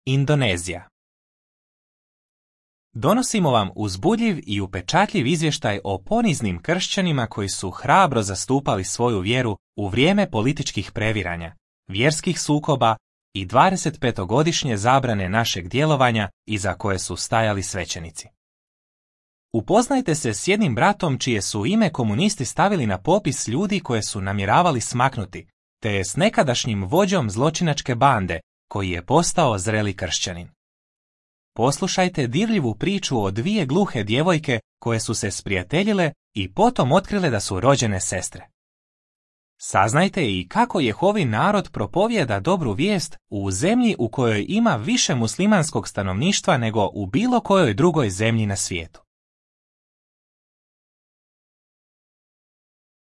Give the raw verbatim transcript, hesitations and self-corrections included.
Indonezija. Donosimo vam uzbudljiv i upečatljiv izvještaj o poniznim kršćanima koji su hrabro zastupali svoju vjeru u vrijeme političkih previranja, vjerskih sukoba i dvadesetpetogodišnje zabrane našeg djelovanja iza koje su stajali svećenici. Upoznajte se s jednim bratom čije su ime komunisti stavili na popis ljudi koje su namjeravali smaknuti, te je s nekadašnjim vođom zločinačke bande koji je postao zreli kršćanin. Poslušajte dirljivu priču o dvije gluhe djevojke koje su se sprijateljile i potom otkrile da su rođene sestre. Saznajte i kako Jehovin narod propovijeda dobru vijest u zemlji u kojoj ima više muslimanskog stanovništva nego u bilo kojoj drugoj zemlji na svijetu.